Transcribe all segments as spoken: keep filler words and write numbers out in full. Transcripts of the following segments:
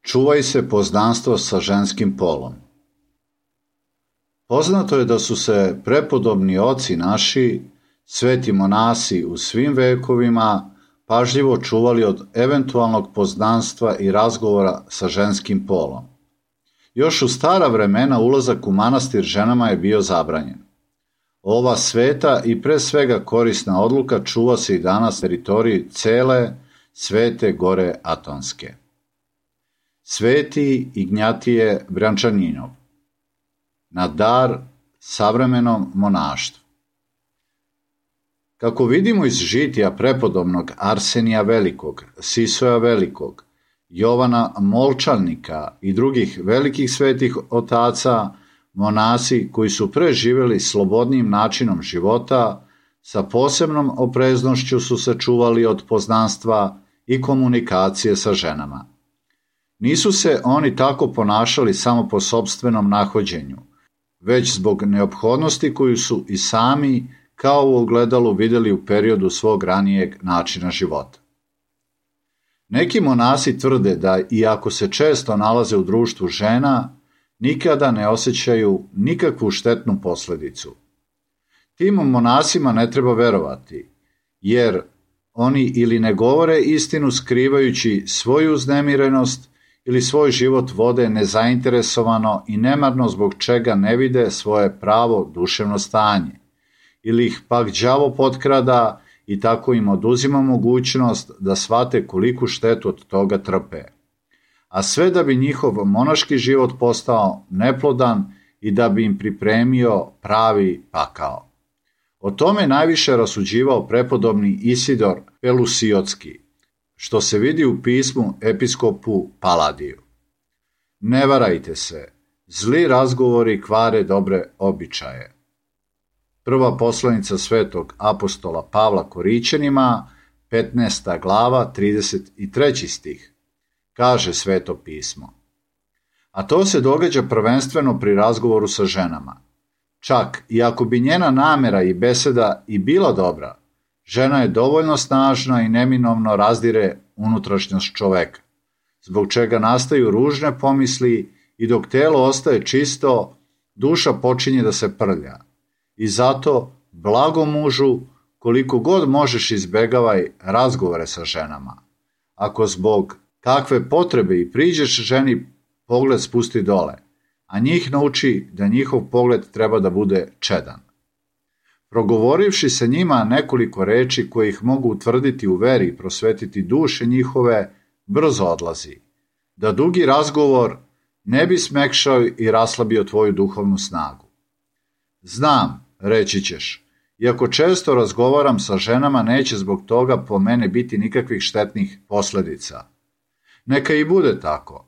Čuvaj se poznanstva sa ženskim polom. Poznato je da su se prepodobni oci naši, sveti monasi u svim vekovima, pažljivo čuvali od eventualnog poznanstva i razgovora sa ženskim polom. Još u stara vremena ulazak u manastir ženama je bio zabranjen. Ova sveta i pre svega korisna odluka čuva se i danas na teritoriji cele Svete Gore Atonske. Sveti Ignjatije Brančaninov na dar savremenom monaštvu. Kako vidimo iz žitija prepodobnog Arsenija Velikog, Sisoja Velikog, Jovana Molčanika i drugih velikih svetih otaca, monasi koji su preživjeli slobodnim načinom života, sa posebnom opreznošću su se čuvali od poznanstva i komunikacije sa ženama. Nisu se oni tako ponašali samo po sopstvenom nahođenju, već zbog neophodnosti koju su i sami kao u ogledalu vidjeli u periodu svog ranijeg načina života. Neki monasi tvrde da, iako se često nalaze u društvu žena, nikada ne osjećaju nikakvu štetnu posljedicu. Tim monasima ne treba verovati, jer oni ili ne govore istinu skrivajući svoju uznemirenost ili svoj život vode nezainteresovano i nemarno zbog čega ne vide svoje pravo duševno stanje, ili ih pak đavo potkrada i tako im oduzima mogućnost da shvate koliku štetu od toga trpe, a sve da bi njihov monaški život postao neplodan i da bi im pripremio pravi pakao. O tome najviše rasuđivao prepodobni Isidor Pelusiotski, što se vidi u pismu episkopu Paladiju. Ne varajte se, zli razgovori kvare dobre običaje. Prva poslanica svetog apostola Pavla Korićanima, petnaesta glava, trideset treći stih, kaže sveto pismo. A to se događa prvenstveno pri razgovoru sa ženama. Čak i ako bi njena namera i beseda i bila dobra, žena je dovoljno snažna i neminovno razdire unutrašnjost čoveka, zbog čega nastaju ružne pomisli i dok telo ostaje čisto, duša počinje da se prlja. I zato, blago mužu, koliko god možeš izbegavaj razgovore sa ženama. Ako zbog kakve potrebe i priđeš ženi, pogled spusti dole, a njih nauči da njihov pogled treba da bude čedan. Progovorivši se njima nekoliko reči koje ih mogu utvrditi u veri i prosvetiti duše njihove, brzo odlazi, da dugi razgovor ne bi smekšao i raslabio tvoju duhovnu snagu. Znam, reći ćeš, iako često razgovaram sa ženama, neće zbog toga po mene biti nikakvih štetnih posljedica. Neka i bude tako,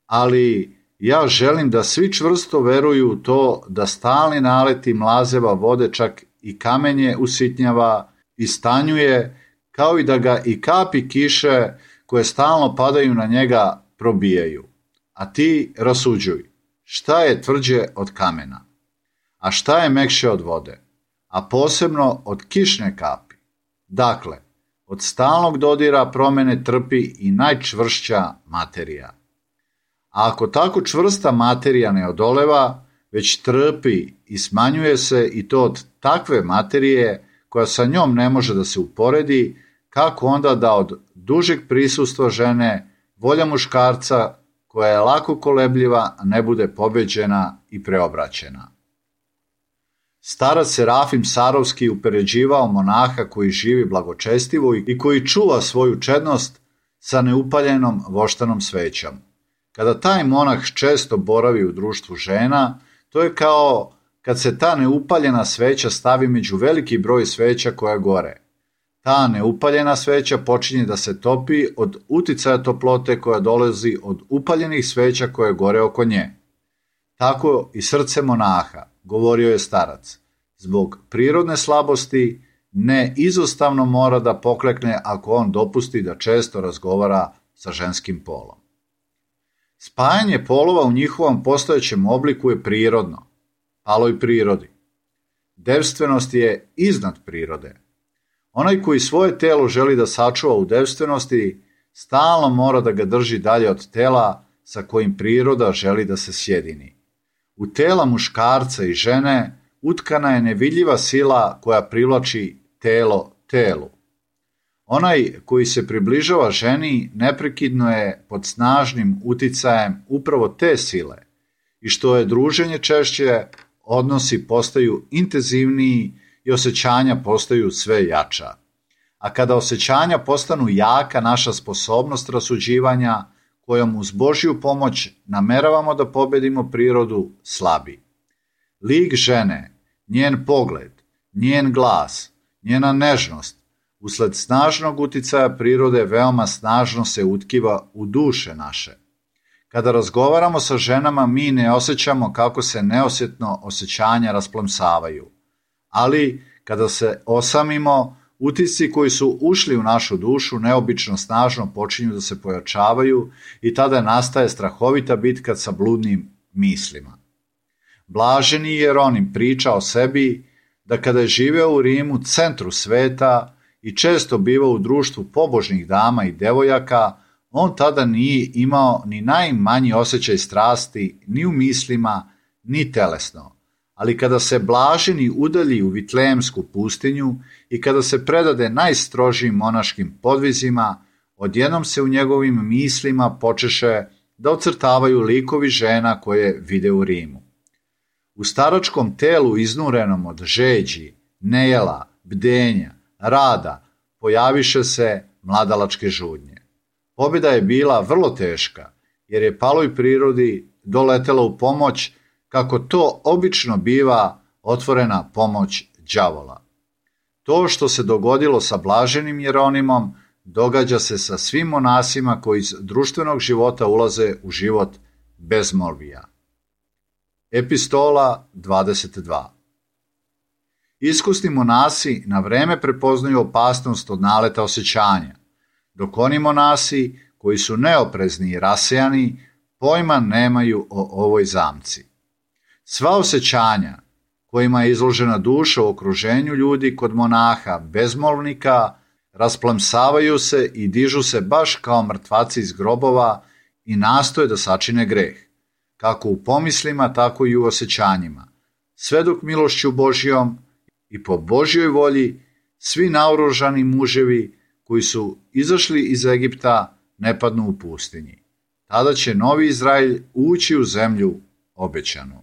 ali ja želim da svi čvrsto veruju u to da stalni naleti mlazeva vode čak i kamenje usitnjava i stanjuje, kao i da ga i kapi kiše koje stalno padaju na njega probijaju. A ti rasuđuj, šta je tvrđe od kamena, a šta je mekše od vode, a posebno od kišne kapi. Dakle, od stalnog dodira promene trpi i najčvršća materija. A ako tako čvrsta materija ne odoleva, već trpi i smanjuje se i to od takve materije koja sa njom ne može da se uporedi, kako onda da od dužeg prisustva žene volja muškarca koja je lako kolebljiva ne bude pobeđena i preobraćena. Starac Serafim Sarovski upoređivao monaha koji živi blagočestivo i koji čuva svoju čednost sa neupaljenom voštanom svećom. Kada taj monah često boravi u društvu žena, to je kao kad se ta neupaljena sveća stavi među veliki broj sveća koja gore. Ta neupaljena sveća počinje da se topi od uticaja toplote koja dolazi od upaljenih sveća koje gore oko nje. Tako i srce monaha, govorio je starac, zbog prirodne slabosti ne izostavno mora da poklekne ako on dopusti da često razgovara sa ženskim polom. Spajanje polova u njihovom postojećem obliku je prirodno, paloj prirodi. Devstvenost je iznad prirode. Onaj koji svoje telo želi da sačuva u devstvenosti, stalno mora da ga drži dalje od tela sa kojim priroda želi da se sjedini. U tela muškarca i žene utkana je nevidljiva sila koja privlači telo telu. Onaj koji se približava ženi neprekidno je pod snažnim uticajem upravo te sile i što je druženje češće, odnosi postaju intenzivniji i osjećanja postaju sve jača. A kada osjećanja postanu jaka, naša sposobnost rasuđivanja kojom uz Božju pomoć nameravamo da pobedimo prirodu slabi. Lik žene, njen pogled, njen glas, njena nežnost, usled snažnog uticaja prirode veoma snažno se utkiva u duše naše. Kada razgovaramo sa ženama, mi ne osjećamo kako se neosjetno osjećanja rasplamsavaju. Ali kada se osamimo, utisci koji su ušli u našu dušu neobično snažno počinju da se pojačavaju i tada nastaje strahovita bitka sa bludnim mislima. Blaženi Jeronim priča o sebi da kada je živeo u Rimu, centru sveta, i često bivao u društvu pobožnih dama i devojaka, on tada nije imao ni najmanji osjećaj strasti ni u mislima, ni telesno. Ali kada se blaženi udalji u Vitlejemsku pustinju i kada se predade najstrožijim monaškim podvizima, odjednom se u njegovim mislima počeše da ocrtavaju likovi žena koje vide u Rimu. U staračkom telu iznurenom od žeđi, nejela, bdenja, rada, pojaviše se mladalačke žudnje. Pobjeda je bila vrlo teška, jer je paloj prirodi doletela u pomoć, kako to obično biva, otvorena pomoć đavola. To što se dogodilo sa blaženim Jeronimom, događa se sa svim monasima koji iz društvenog života ulaze u život bezmolvija. Epistola dvadeset dva. Iskusni monasi na vreme prepoznaju opasnost od naleta osjećanja, dok oni monasi koji su neoprezni i rasejani pojma nemaju o ovoj zamci. Sva osjećanja kojima je izložena duša u okruženju ljudi kod monaha bezmolvnika rasplamsavaju se i dižu se baš kao mrtvaci iz grobova i nastoje da sačine greh, kako u pomislima, tako i u osjećanjima, sve dok milošću Božjom i po Božjoj volji svi naoružani muževi koji su izašli iz Egipta ne padnu u pustinji. Tada će novi Izrael ući u zemlju obećanu.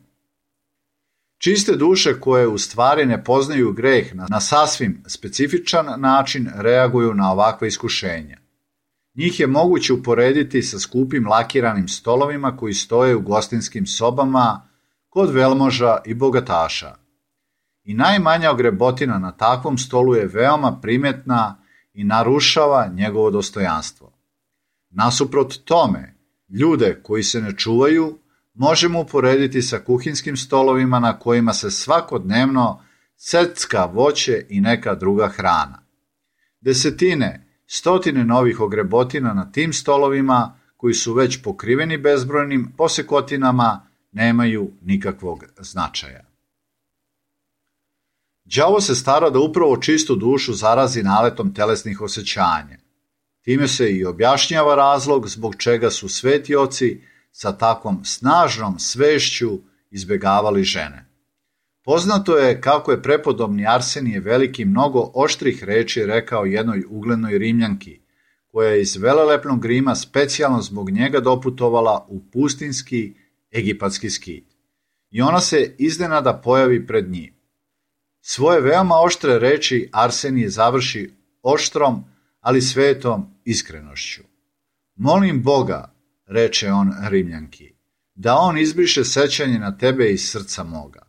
Čiste duše koje u stvari ne poznaju greh na sasvim specifičan način reaguju na ovakva iskušenja. Njih je moguće uporediti sa skupim lakiranim stolovima koji stoje u gostinskim sobama kod velmoža i bogataša. I najmanja ogrebotina na takvom stolu je veoma primjetna i narušava njegovo dostojanstvo. Nasuprot tome, ljude koji se ne čuvaju možemo uporediti sa kuhinskim stolovima na kojima se svakodnevno secka voće i neka druga hrana. Desetine, stotine novih ogrebotina na tim stolovima koji su već pokriveni bezbrojnim posekotinama nemaju nikakvog značaja. Đavo se stara da upravo čistu dušu zarazi naletom telesnih osjećanja. Time se i objašnjava razlog zbog čega su sveti oci sa takvom snažnom svešću izbjegavali žene. Poznato je kako je prepodobni Arsenije Veliki mnogo oštrih reči rekao jednoj uglednoj Rimljanki, koja je iz velelepnog Rima specijalno zbog njega doputovala u pustinski egipatski skit. I ona se iznenada pojavi pred njim. Svoje veoma oštre reči Arsenije završi oštrom, ali svetom iskrenošću. Molim Boga, reče on Rimljanki, da on izbriše sećanje na tebe iz srca moga.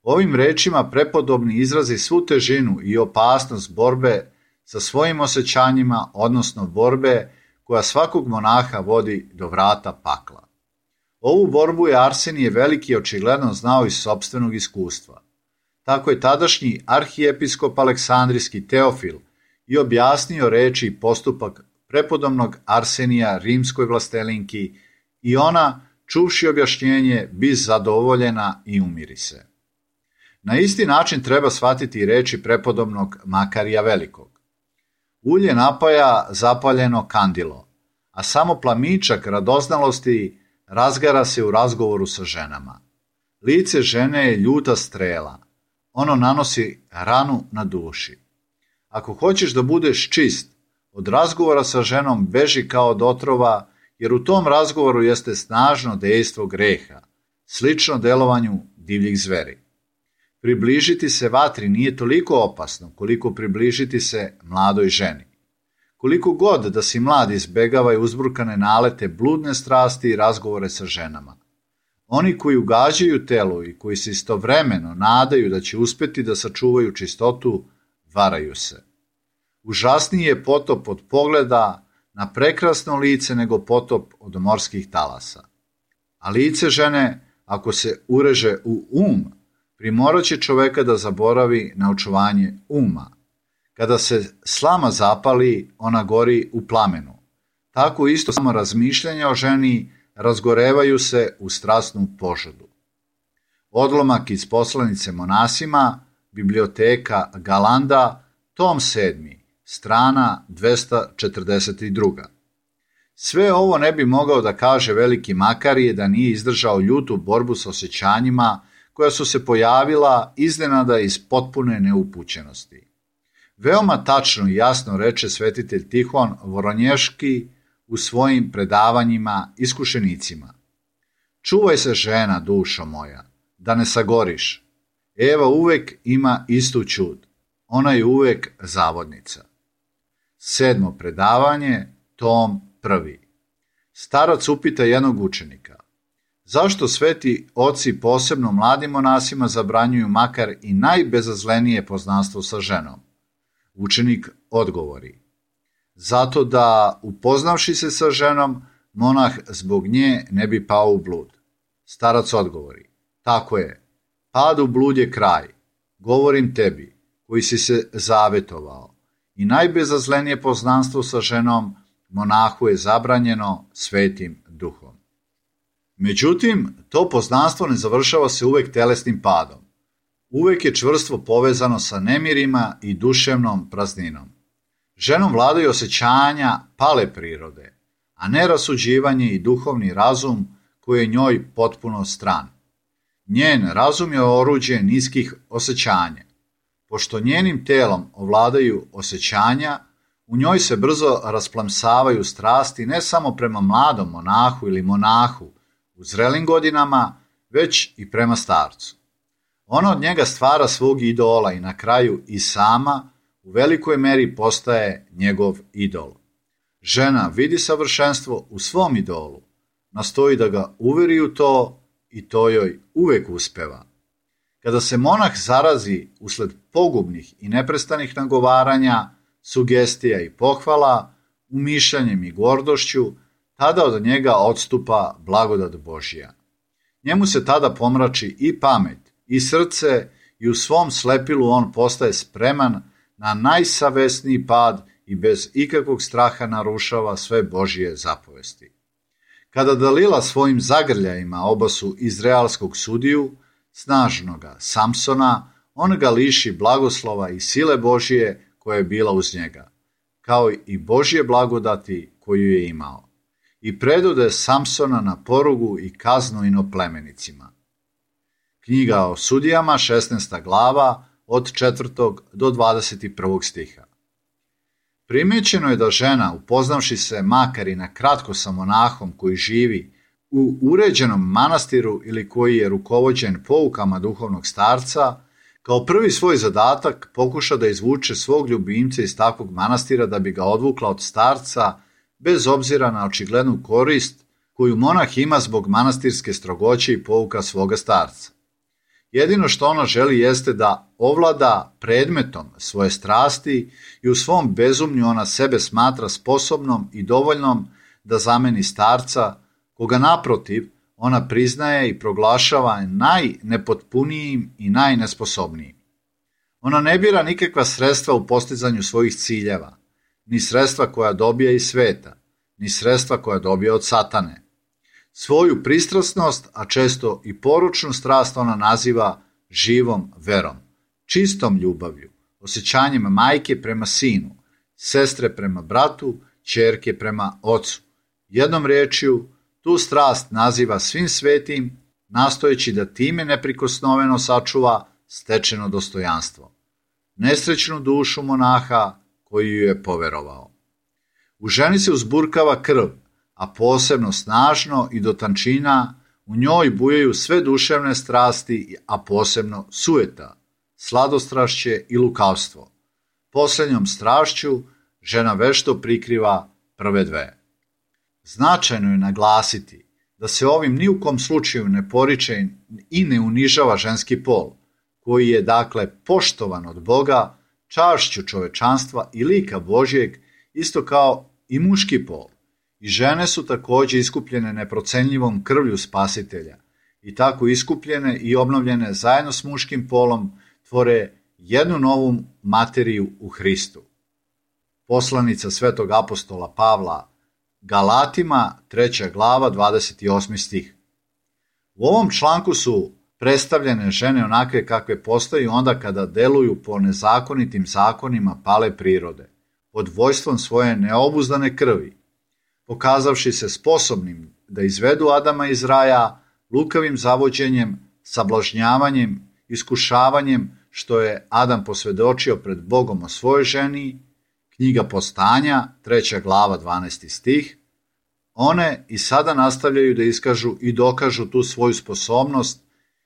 Ovim rečima prepodobni izrazi svu težinu i opasnost borbe sa svojim osjećanjima, odnosno borbe koja svakog monaha vodi do vrata pakla. Ovu borbu je Arsenije Veliki očigledno znao iz sopstvenog iskustva. Tako je tadašnji arhijepiskop Aleksandrijski Teofil i objasnio reči i postupak prepodobnog Arsenija rimskoj vlastelinki i ona, čuvši objašnjenje, bi zadovoljena i umiri se. Na isti način treba shvatiti i reči prepodobnog Makarija Velikog. Ulje napaja zapaljeno kandilo, a samo plamičak radoznalosti razgara se u razgovoru sa ženama. Lice žene je ljuta strela, ono nanosi ranu na duši. Ako hoćeš da budeš čist, od razgovora sa ženom beži kao od otrova, jer u tom razgovoru jeste snažno dejstvo greha, slično delovanju divljih zveri. Približiti se vatri nije toliko opasno koliko približiti se mladoj ženi. Koliko god da si mlad izbegava uzburkane nalete, bludne strasti i razgovore sa ženama. Oni koji ugađaju telu i koji se istovremeno nadaju da će uspeti da sačuvaju čistotu, varaju se. Užasniji je potop od pogleda na prekrasno lice nego potop od morskih talasa. A lice žene, ako se ureže u um, primorat će čoveka da zaboravi na očuvanje uma. Kada se slama zapali, ona gori u plamenu. Tako isto samo razmišljanja o ženi razgorevaju se u strasnu požudu. Odlomak iz poslanice monasima, biblioteka Galanda, tom sedmi, strana dvesta četrdeset dva. Sve ovo ne bi mogao da kaže veliki Makarije da nije izdržao ljutu borbu sa osjećanjima koja su se pojavila iznenada iz potpune neupućenosti. Veoma tačno i jasno reče svetitelj Tihon Voronješki u svojim predavanjima iskušenicima. Čuvaj se, žena, dušo moja, da ne sagoriš. Eva uvek ima istu ćud, ona je uvek zavodnica. Sedmo predavanje, tom prvi. Starac upita jednog učenika. Zašto sveti oci posebno mladim monasima zabranjuju makar i najbezazlenije poznanstvo sa ženom? Učenik odgovori. Zato da, upoznavši se sa ženom, monah zbog nje ne bi pao u blud. Starac odgovori. Tako je, pad u blud je kraj. Govorim tebi, koji si se zavetovao. I najbezazlenije poznanstvo sa ženom monahu je zabranjeno svetim duhom. Međutim, to poznanstvo ne završava se uvek telesnim padom. Uvek je čvrstvo povezano sa nemirima i duševnom prazninom. Ženom vladaju osjećanja pale prirode, a ne rasuđivanje i duhovni razum koji je njoj potpuno stran. Njen razum je oruđe niskih osjećanja. Pošto njenim telom ovladaju osjećanja, u njoj se brzo rasplamsavaju strasti ne samo prema mladom monahu ili monahu u zrelim godinama, već i prema starcu. Ona od njega stvara svog idola i na kraju i sama u velikoj meri postaje njegov idol. Žena vidi savršenstvo u svom idolu, nastoji da ga uveri u to i to joj uvek uspeva. Kada se monah zarazi usled pogubnih i neprestanih nagovaranja, sugestija i pohvala, umišljanjem i gordošću, tada od njega odstupa blagodat Božja. Njemu se tada pomrači i pamet, i srce, i u svom slepilu on postaje spreman na najsavesniji pad i bez ikakvog straha narušava sve Božje zapovesti. Kada Dalila svojim zagrljajima obasu izraelskog sudiju, snažnoga Samsona, on ga liši blagoslova i sile Božje koja je bila uz njega, kao i Božje blagodati koju je imao, i predode Samsona na porugu i kaznu inoplemenicima. Knjiga o sudijama, šesnaesta glava, od četvrtog do dvadeset prvog stiha. Primećeno je da žena, upoznavši se makar i na kratko sa monahom koji živi u uređenom manastiru ili koji je rukovođen poukama duhovnog starca, kao prvi svoj zadatak pokuša da izvuče svog ljubimca iz takvog manastira da bi ga odvukla od starca, bez obzira na očiglednu korist koju monah ima zbog manastirske strogoće i pouka svoga starca. Jedino što ona želi jeste da ovlada predmetom svoje strasti i u svom bezumlju ona sebe smatra sposobnom i dovoljnom da zameni starca, koga naprotiv ona priznaje i proglašava najnepotpunijim i najnesposobnijim. Ona ne bira nikakva sredstva u postizanju svojih ciljeva, ni sredstva koja dobija iz sveta, ni sredstva koja dobija od satane. Svoju pristrasnost, a često i poručnu strast ona naziva živom verom, čistom ljubavlju, osjećanjem majke prema sinu, sestre prema bratu, ćerke prema ocu. Jednom riječju, tu strast naziva svim svetim, nastojeći da time neprikosnoveno sačuva stečeno dostojanstvo. Nesrećnu dušu monaha koji ju je poverovao. U ženi se uzburkava krv, a posebno snažno i do tančina u njoj bujaju sve duševne strasti, a posebno sujeta, sladostrašće i lukavstvo. Posljednjom strašću žena vešto prikriva prve dve. Značajno je naglasiti da se ovim ni u kom slučaju ne poriče i ne unižava ženski pol, koji je dakle poštovan od Boga, čašću čovečanstva i lika Božjeg, isto kao i muški pol. I žene su također iskupljene neprocenljivom krvlju Spasitelja i tako iskupljene i obnovljene zajedno s muškim polom tvore jednu novu materiju u Hristu. Poslanica svetog apostola Pavla Galatima, treća glava, dvadeset osmi stih. U ovom članku su predstavljene žene onakve kakve postaju onda kada deluju po nezakonitim zakonima pale prirode, pod vojstvom svoje neobuzdane krvi, pokazavši se sposobnim da izvedu Adama iz raja lukavim zavođenjem, sablažnjavanjem, iskušavanjem, što je Adam posvjedočio pred Bogom o svojoj ženi, knjiga Postanja, treća glava, dvanaesti stih, one i sada nastavljaju da iskažu i dokažu tu svoju sposobnost,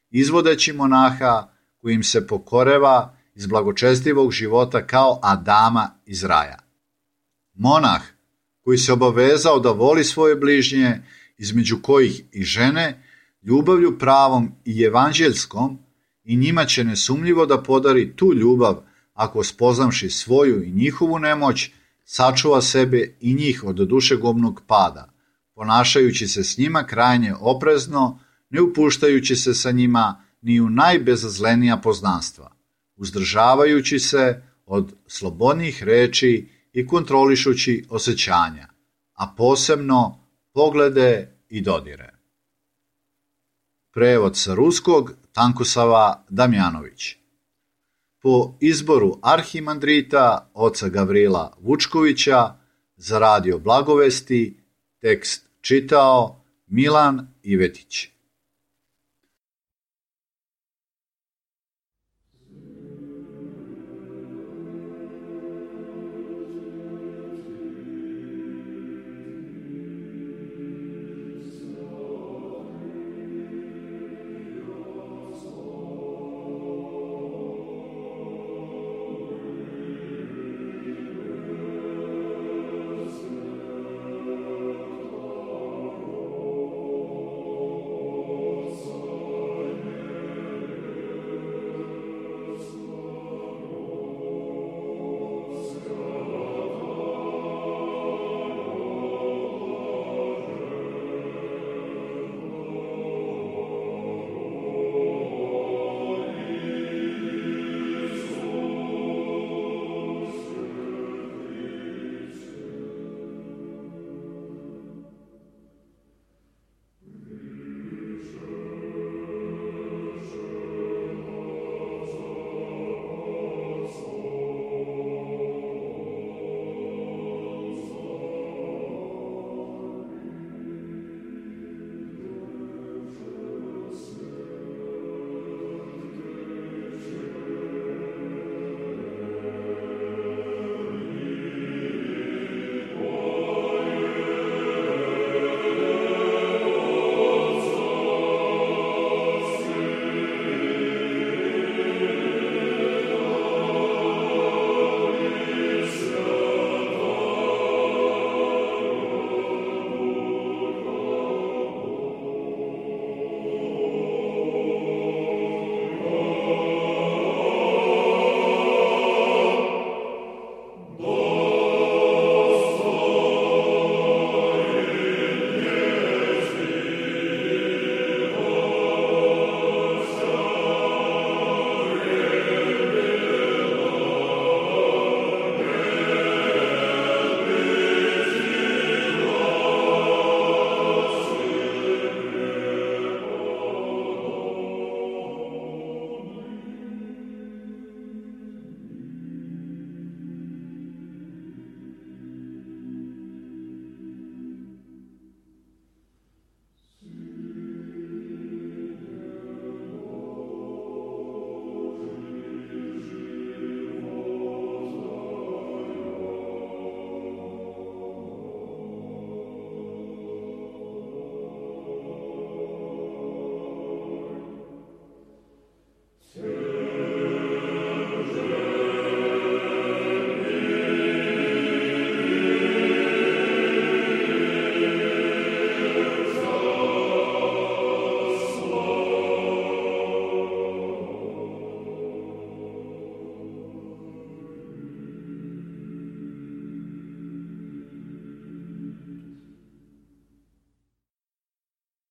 izvodeći monaha koji im se pokoreva iz blagočestivog života kao Adama iz raja. Monah koji se obavezao da voli svoje bližnje, između kojih i žene, ljubavlju pravom i evanđeljskom, i njima će nesumnjivo da podari tu ljubav ako spoznavši svoju i njihovu nemoć, sačuva sebe i njih od dušegubnog pada, ponašajući se s njima krajnje oprezno, ne upuštajući se sa njima ni u najbezazlenija poznanstva, uzdržavajući se od slobodnih reči i kontrolišući osjećanja, a posebno poglede i dodire. Prevod sa ruskog Tankusava Damjanović. Po izboru arhimandrita oca Gavrila Vučkovića za radio Blagovesti tekst čitao Milan Ivetić.